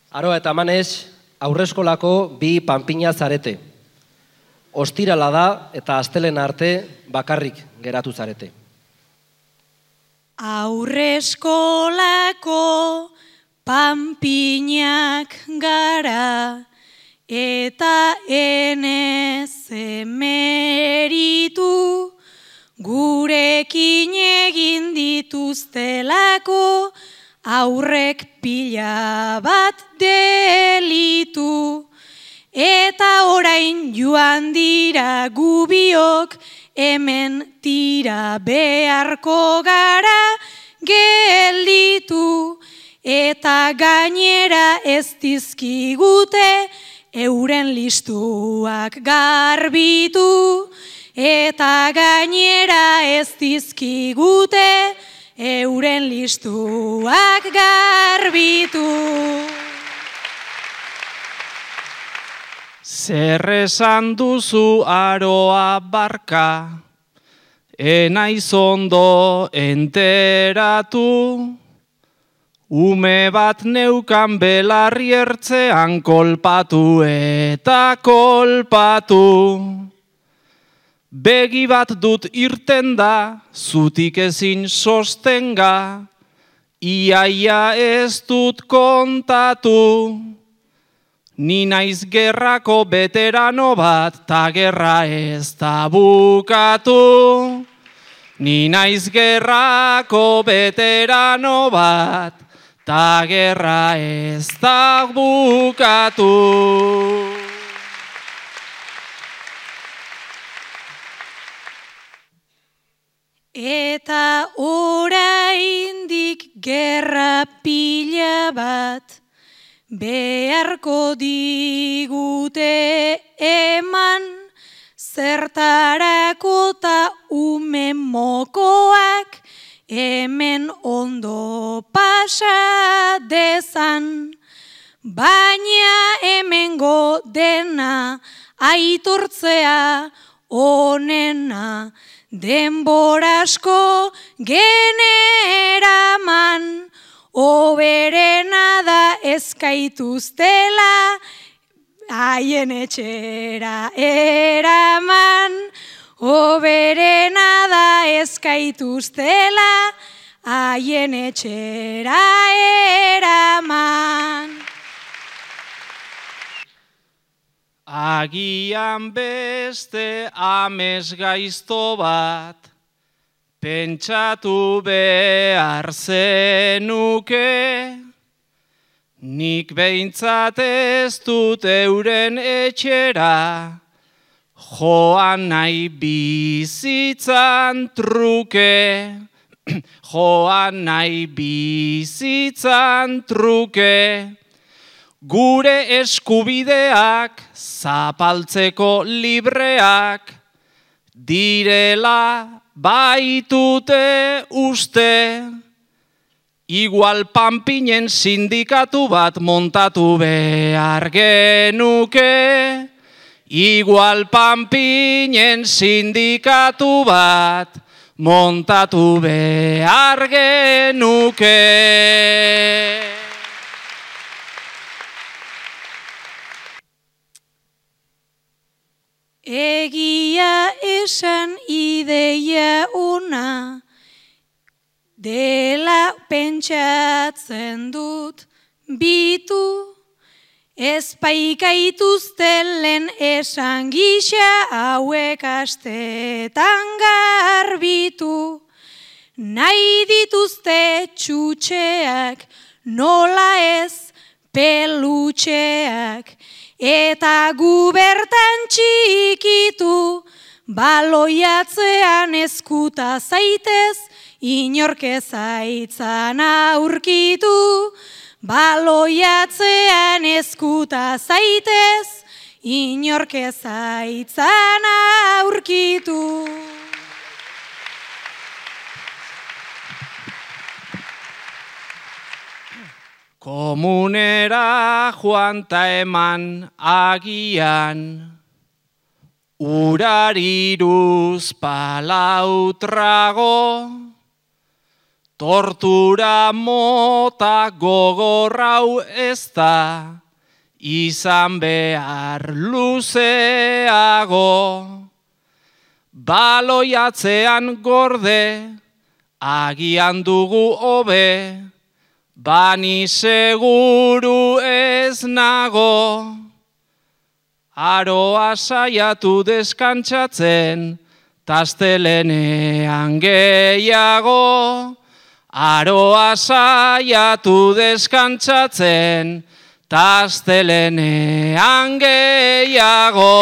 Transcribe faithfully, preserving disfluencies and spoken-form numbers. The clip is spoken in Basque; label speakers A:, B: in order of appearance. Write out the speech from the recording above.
A: Aroa eta Manez, aurreskolako bi panpina zarete. Ostirala da eta astelehen arte bakarrik geratu zarete.
B: Aurreskolako panpinak gara eta enez emeritu gurekin egin dituztelako aurrek pila bat delitu. Eta orain joan dira gubiok, hemen tira beharko gara gelditu. Eta gainera ez dizkigute euren listuak garbitu. Eta gainera ez dizkigute euren listuak garbitu.
C: Zer esan duzu Aroa barka, enaiz ondo enteratu, ume bat neukan belarri ertzean kolpatu eta kolpatu. Begi bat dut irten da, zutik ezin sostenga, iaia ez dut kontatu. Ni naiz gerrako beterano bat, ta gerra ez da bukatu. Ni naiz gerrako beterano bat, ta gerra ez da bukatu.
B: Eta oraindik gerra pila bat beharko digute eman, zertarako ta ume mokoak hemen ondo pasa dezan. Baina hemengo dena aitortzea onena, denbora asko generaman. Oberena da ezkaituztela, haien etxera eraman. Oberena da ezkaituztela, haien etxera eraman.
C: Agian beste amesgaizto bat, pentsatu behar zenuke, nik behintzat ez dut euren etxera, joan nahi bizitzan truke, joan nahi bizitzan truke, gure eskubideak zapaltzeko libreak, direla baitute uste, igual panpinen sindikatu bat montatu behar genuke, igual panpinen sindikatu bat montatu behar genuke.
B: Egia esan ideia ona, dela pentsatzen dut bitu, ezpaikaituztelen esan gisa hauek astetan garbitu. Nahi dituzte txutxeak, nola ez pelutxeak, eta gu bertan txikitu, baloiatzean eskuta zaitez, inork ezaitzan aurkitu. Baloiatzean eskuta zaitez, inork ezaitzan aurkitu.
C: Komunera joan ta eman agian, urariruz palautrago, Tortura mota gogorrau ez da, izan behar luzeago. Baloiatzean gorde, agian dugu hobe, bani seguru ez nago. Aroa saiatu deskantsatzen, tastelenean gehiago. Aroa saiatu deskantsatzen, tastelenean gehiago.